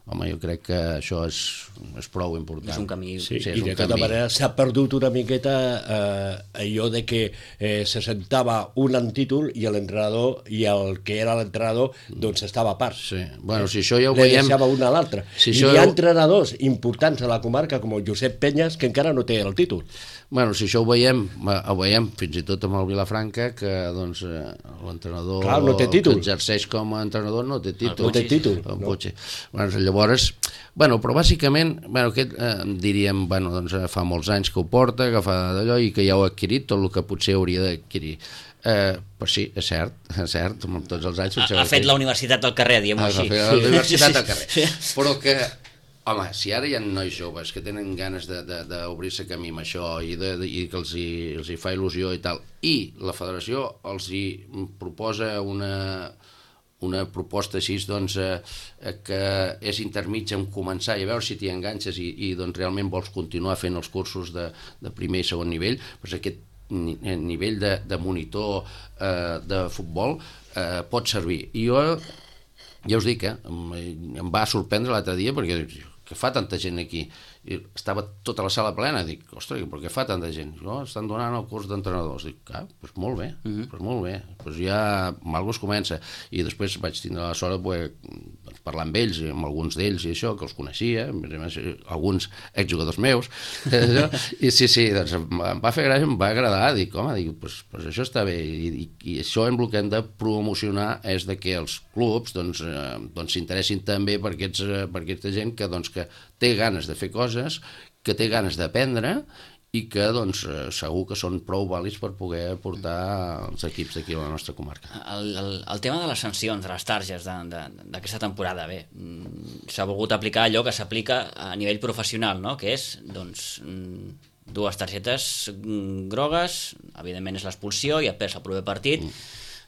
Home, jo crec que això és prou important. És un camí. Sí, i de tota manera s'ha perdut una miqueta allò de que se sentava un títol i l'entrenador i el que era l'entrenador doncs estava a part. Sí, bueno, si això ja ho veiem... Le deixava un a l'altre. I hi ha entrenadors importants a la comarca com el Josep Penyes que encara no té el títol. Bueno, si això ho veiem fins i tot amb el Vilafranca, que doncs l'entrenador que exerceix com a entrenador no té títol. No té títol. Bueno, llavors, però bàsicament, aquest diríem, doncs fa molts anys que ho porta, que fa d'allò i que ja ho ha adquirit tot el que potser hauria d'adquirir. Però sí, és cert, amb tots els anys... Ha fet la universitat del carrer, diguem-ho així. Ha fet la universitat del carrer. Però que... Home, si ara hi ha nois joves que tenen ganes d'obrir-se camí amb això i que els hi fa il·lusió i tal, i la federació els hi proposa una proposta així, doncs, que és intermitja en començar i a veure si t'hi enganxes i doncs realment vols continuar fent els cursos de primer i segon nivell, doncs aquest nivell de monitor de futbol pot servir. I jo ja us dic, em va sorprendre l'altre dia perquè que fa tanta gent aquí, i estava tota la sala plena, dic, ostres, però què fa tanta gent? No, estan donant el curs d'entrenadors. Dic, doncs molt bé, doncs ja alguna es comença, i després vaig tindre la sort de poder parlar amb ells, amb alguns d'ells i això, que els coneixia, alguns exjugadors meus, i sí, doncs em va fer gràcia, em va agradar, dic, home, doncs això està bé, i això el que hem de promocionar és que els clubs s'interessin també per aquesta gent que té ganes de fer coses, que té ganes d'aprendre i que segur que són prou vàlids per poder portar els equips d'aquí a la nostra comarca. El tema de les sancions, de les targes d'aquesta temporada, bé, s'ha volgut aplicar allò que s'aplica a nivell professional, no? Que és, dues targetes grogues, evidentment és l'expulsió i et perds el proper partit,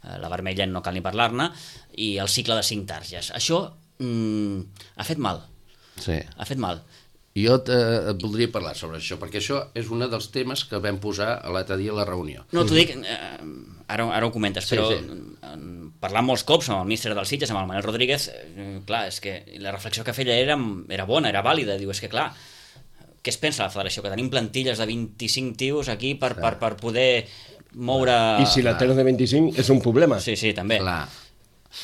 la vermella no cal ni parlar-ne, i el cicle de 5 targes. Això ha fet mal. Sí. Ha fet mal. Jo et voldria parlar sobre això, perquè això és un dels temes que vam posar l'altre dia a la reunió. No, t'ho dic, ara ho comentes, però parlant molts cops amb el míster del Sitges, amb el Manel Rodríguez, clar, és que la reflexió que feia era bona, era vàlida. Diu, és que clar, què es pensa la federació? Que tenim plantilles de 25 tios aquí per poder moure... I si la tens de 25 és un problema. Sí, també. Clar.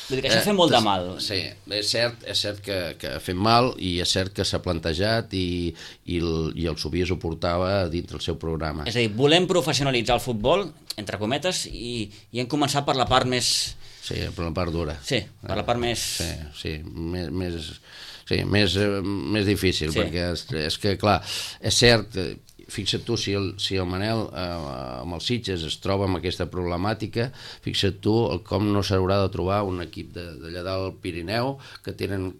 Vull dir que això fa molt de mal. Sí, és cert que ha fet mal i és cert que s'ha plantejat i el Sobies ho portava dintre el seu programa. És a dir, volem professionalitzar el futbol, entre cometes, i hem començat per la part més... Sí, per la part dura. Sí, per la part més... Sí, més difícil, perquè és que, clar, és cert... Fixa't tu, si el Manel amb els Sitges es troba amb aquesta problemàtica, fixa't tu com no s'haurà de trobar un equip d'allà del Pirineu que tenen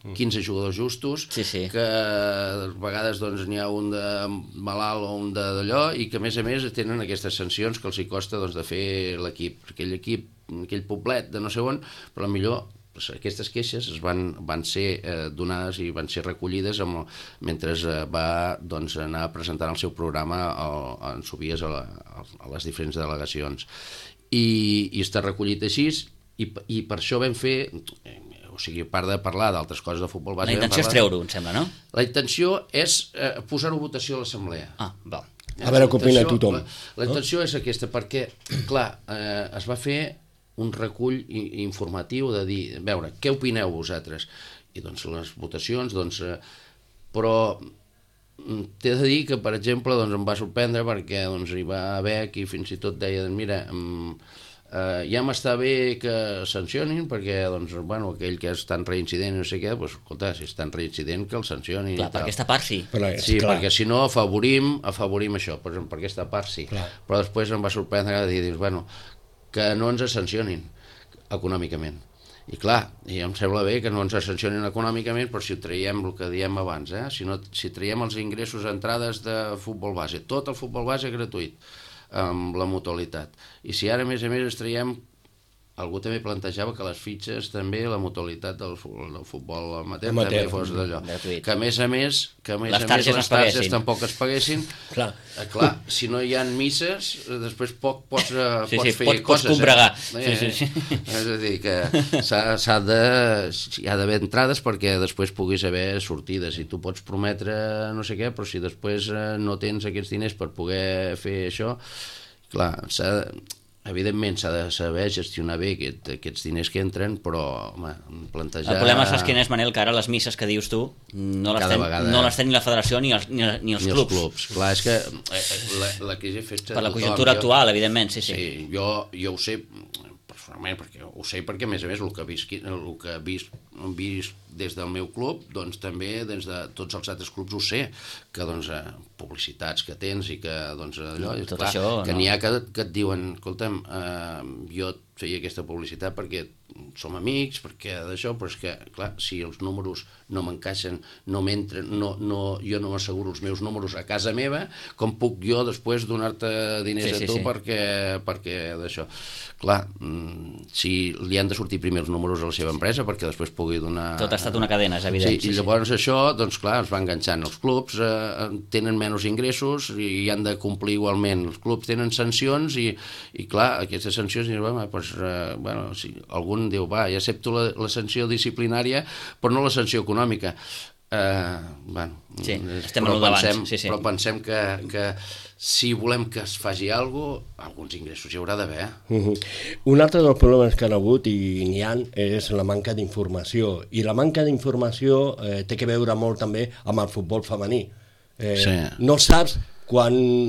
15 jugadors justos, Sí. que a vegades doncs, n'hi ha un de malalt o un d'allò, i que a més tenen aquestes sancions que els hi costa doncs, de fer l'equip. Aquell equip, aquell poblet de no sé on, però millor aquestes queixes van ser donades i van ser recollides mentre va doncs, anar presentant el seu programa en subies a les diferents delegacions. I està recollit així, i per això vam fer... O sigui, a part de parlar d'altres coses de futbol base... La intenció és treure-ho, em sembla, no? La intenció és posar-ho a votació a l'assemblea. Val. A veure què opina tothom. La intenció és aquesta, perquè, clar, es va fer un recull informatiu de dir, a veure, què opineu vosaltres? I doncs les votacions, doncs... Però t'he de dir que, per exemple, doncs, em va sorprendre perquè doncs, hi va haver qui fins i tot deia, mira... ja m'està bé que sancionin perquè doncs, bueno, aquell que és tan reincident no sé què, doncs, escolta, si és tan reincident que el sancionin. Clar, per aquesta part sí. Sí, perquè si no afavorim això, per aquesta part sí. Clar. Però després em va sorprendre de dir, bueno, que no ens sancionin econòmicament. I clar, i em sembla bé que no ens sancionin econòmicament, però si ho traiem, el que diem abans, si traiem els ingressos a entrades de futbol base, tot el futbol base gratuït, amb la mutualitat. I si ara, a més, es traiem, algú també plantejava que les fitxes també, la mutualitat del futbol amateur també fos d'allò. Que a més, les targes tampoc es paguessin. Clar, si no hi ha misses, després poc pots fer coses. Pots combregar. És a dir, que hi ha d'haver entrades perquè després puguis haver sortides. I tu pots prometre no sé què, però si després no tens aquests diners per poder fer això, clar, evidentment s'ha de saber gestionar bé aquests diners que entren, però home, plantejar... El problema, saps quin és, Manel, que ara les misses que dius tu no les té ni la federació ni els clubs. Clar, és que la crisi afecta per la conjuntura actual, evidentment, sí. Jo ho sé personalment, perquè a més el que he vist des del meu club, doncs també des de tots els altres clubs ho sé, que doncs publicitats que tens i que doncs allò, clar, això, que n'hi ha que et diuen, escolta'm, jo et feia aquesta publicitat perquè som amics, perquè d'això, però és que, clar, si els números no m'encaixen, no m'entren, jo no m'asseguro els meus números a casa meva, com puc jo després donar-te diners a tu perquè d'això. Clar, si li han de sortir primer els números a la seva empresa perquè després pugui donar... Tot ha estat una cadena, és evident. I llavors això, doncs clar, es va enganxant. Els clubs tenen menys ingressos i han de complir igualment. Els clubs tenen sancions i clar, aquestes sancions, si algun diu, va, ja accepto la sanció disciplinària, però no la sanció econòmica. Estem en el davant. Però pensem que si volem que es faci alguna cosa, alguns ingressos hi haurà d'haver. Un altre dels problemes que han hagut, i n'hi ha, és la manca d'informació. I la manca d'informació té que veure molt també amb el futbol femení. No saps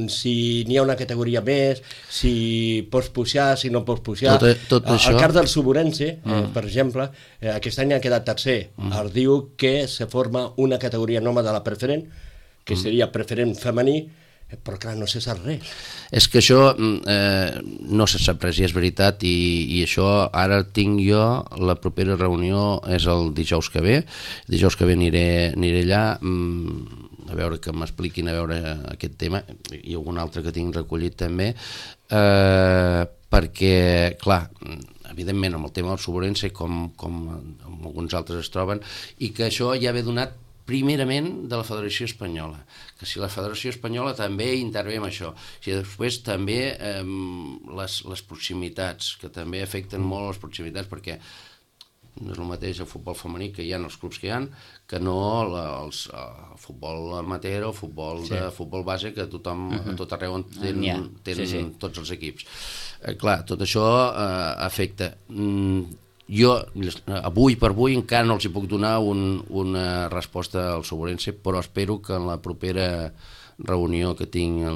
si n'hi ha una categoria més, si pots pujar, si no pots pujar. Tot això... El cas del Suburense, per exemple, aquest any ha quedat tercer. Es diu que se forma una categoria nova de la preferent, que seria preferent femení, però clar, no se sap res. És que això no se sap res, i és veritat, i això ara tinc jo, la propera reunió és el dijous que ve aniré allà, a veure que m'expliquin a veure aquest tema, i algun altre que tinc recollit també, perquè, clar, evidentment amb el tema del Suburense, com alguns altres es troben, i que això ja ve donat primerament de la Federació Espanyola, que si la Federació Espanyola també intervé en això, si després també les proximitats, que també afecten molt les proximitats, perquè no és el mateix el futbol femení que hi ha els clubs que hi ha, que no el futbol amateur o futbol base, que tothom a tot arreu tenen tots els equips. Clar, tot això afecta. Jo, avui per avui, encara no els hi puc donar una resposta al Suburense, però espero que en la propera reunió que tinc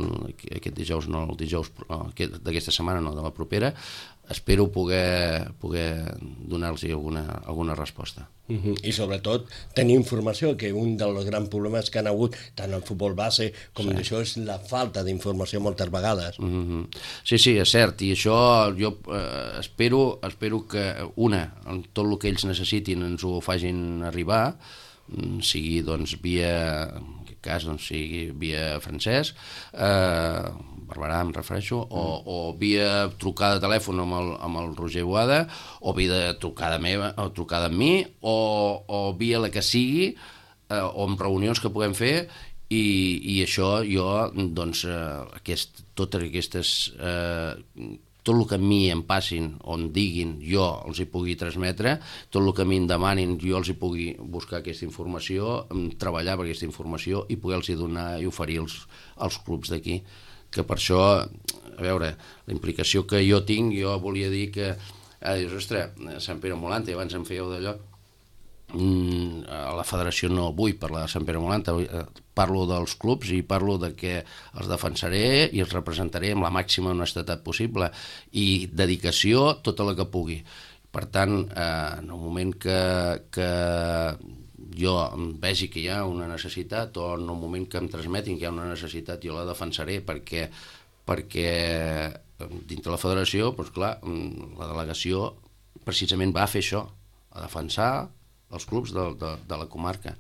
aquest dijous, no el dijous d'aquesta setmana, no, de la propera, espero poder donar-los alguna resposta. I sobretot tenir informació, que un dels grans problemes que han hagut tant al futbol base com d'això és la falta d'informació moltes vegades. Sí, és cert, i això jo espero que tot el que ells necessitin ens ho facin arribar, sigui doncs via, en aquest cas sigui via Francesc, Barberà em refereixo, o via trucada de telèfon amb el Roger Boada, o via trucada meva, o trucada amb mi, o via la que sigui, o amb reunions que puguem fer, i això jo, doncs, totes aquestes... tot el que a mi em passin o em diguin, jo els hi pugui transmetre, tot el que a mi em demanin, jo els hi pugui buscar aquesta informació, treballar per aquesta informació i poder-los donar i oferir als clubs d'aquí. Que per això, a veure, la implicació que jo tinc, jo volia dir que, dius, ostres, Sant Pere Molanta, i abans em fèieu d'allò, a la federació no vull parlar de Sant Pere Molanta, parlo dels clubs i parlo de que els defensaré i els representaré amb la màxima honestedat possible i dedicació tota la que pugui. Per tant, en el moment que jo vegi que hi ha una necessitat o en el moment que em transmetin que hi ha una necessitat, jo la defensaré perquè dintre la federació, doncs clar, la delegació precisament va fer això, a defensar els clubs de la comarca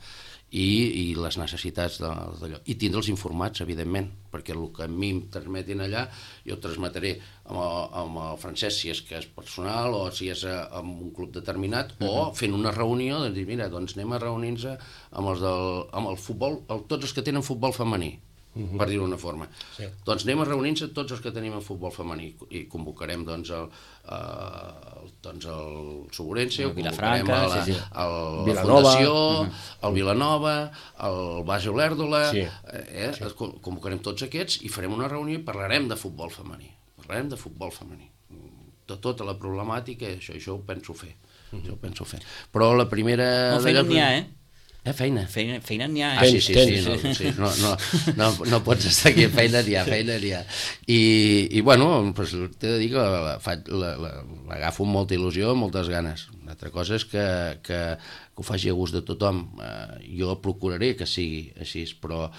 i les necessitats d'allò, i tindre'ls informats, evidentment, perquè el que a mi em transmetin allà jo ho transmetré amb el Francesc, si és que és personal o si és amb un club determinat, o fent una reunió de dir, mira, doncs anem a reunir-nos amb el futbol, tots els que tenen futbol femení, per dir-ho d'una forma. Doncs anem a reunir-nos tots els que tenim en futbol femení i convocarem doncs el Soborense, el convocarem la Fundació, el Vilanova, el Base Olèrdola, convocarem tots aquests i farem una reunió i parlarem de futbol femení. Parlarem de futbol femení. De tota la problemàtica, això ho penso fer. Però la primera... No, feina n'hi ha, Feina n'hi ha. Sí, no pots estar aquí, feina n'hi ha. I bueno, t'he de dir que l'agafo amb molta il·lusió, amb moltes ganes. Una altra cosa és que ho faci a gust de tothom. Jo procuraré que sigui així, però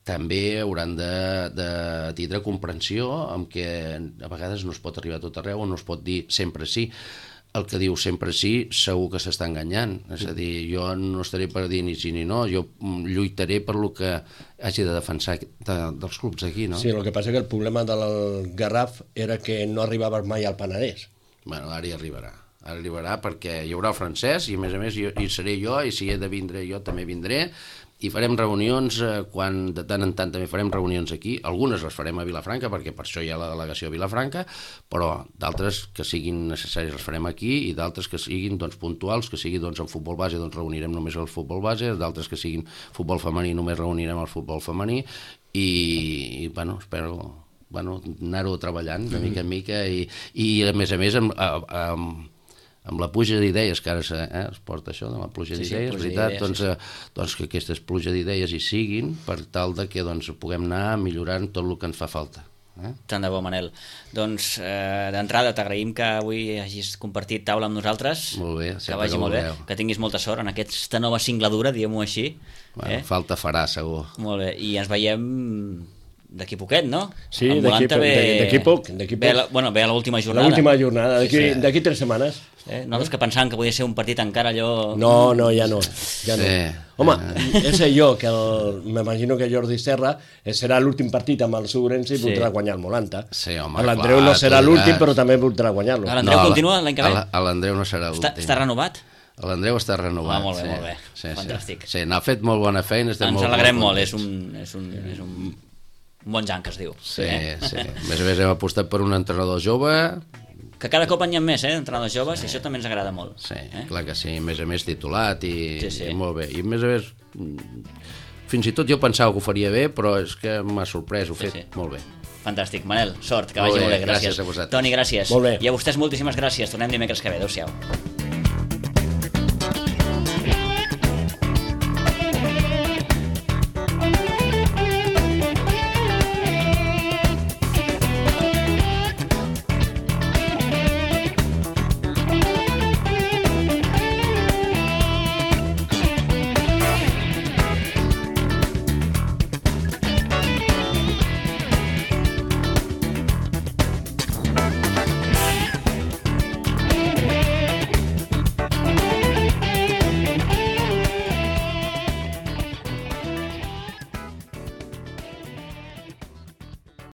també hauran de tindre comprensió amb que a vegades no es pot arribar a tot arreu o no es pot dir sempre sí. El que diu sempre sí, segur que s'està enganyant. És a dir, jo no estaré per dir ni sí ni no, jo lluitaré per lo que hagi de defensar dels clubs d'aquí, no? Sí, el que passa que el problema del Garraf era que no arribaves mai al Penedès. Bueno, ara hi arribarà. Ara arribarà perquè hi haurà el Francesc i, a més, hi seré jo, i si he de vindre jo també vindré, i farem reunions, quan de tant en tant també farem reunions aquí, algunes les farem a Vilafranca, perquè per això hi ha la delegació a Vilafranca, però d'altres que siguin necessaris les farem aquí, i d'altres que siguin puntuals, que sigui en futbol base, reunirem només el futbol base, d'altres que siguin futbol femení, només reunirem el futbol femení, i bueno, espero anar-ho treballant de mica en mica, i a més amb la pluja d'idees, que ara es porta això, de la pluja d'idees, veritat, doncs que aquestes pluja d'idees hi siguin per tal que puguem anar millorant tot el que ens fa falta. Tant de bo, Manel. doncs d'entrada t'agraïm que avui hagis compartit taula amb nosaltres. Molt bé, que vagi molt bé, que tinguis molta sort en aquesta nova singladura, diguem-ho així. Bueno, falta farà, segur. Molt bé, i ens veiem d'aquí poquet, no? Sí, d'aquí poc. Ve a l'última jornada. L'última jornada, d'aquí 3 setmanes. Nosaltres que pensàvem que podia ser un partit encara allò... No, ja no. Home, és jo, que m'imagino que Jordi Serra serà l'últim partit amb el Soborense i voldrà guanyar el Molanta. Sí, home, l'Andreu no serà l'últim, però també voldrà guanyar-lo. L'Andreu continua l'any que ve? L'Andreu no serà l'últim. Està renovat? L'Andreu està renovat. Molt bé. Fantàstic. Sí, n'ha fet molt bona feina. Ens alegrem molt, és un bon jan, que es diu. Sí. A més hem apostat per un entrenador jove... Que cada cop n'hi ha més, entrenadors joves, i això també ens agrada molt. Sí, clar que sí, a més titulat i molt bé. I a més, fins i tot jo pensava que ho faria bé, però és que m'ha sorprès, ho he fet molt bé. Fantàstic. Manel, sort, que vagi molt bé, gràcies. Gràcies a vosaltres. Toni, gràcies. Molt bé. I a vostès moltíssimes gràcies. Tornem dimecres que ve. Adéu-siau.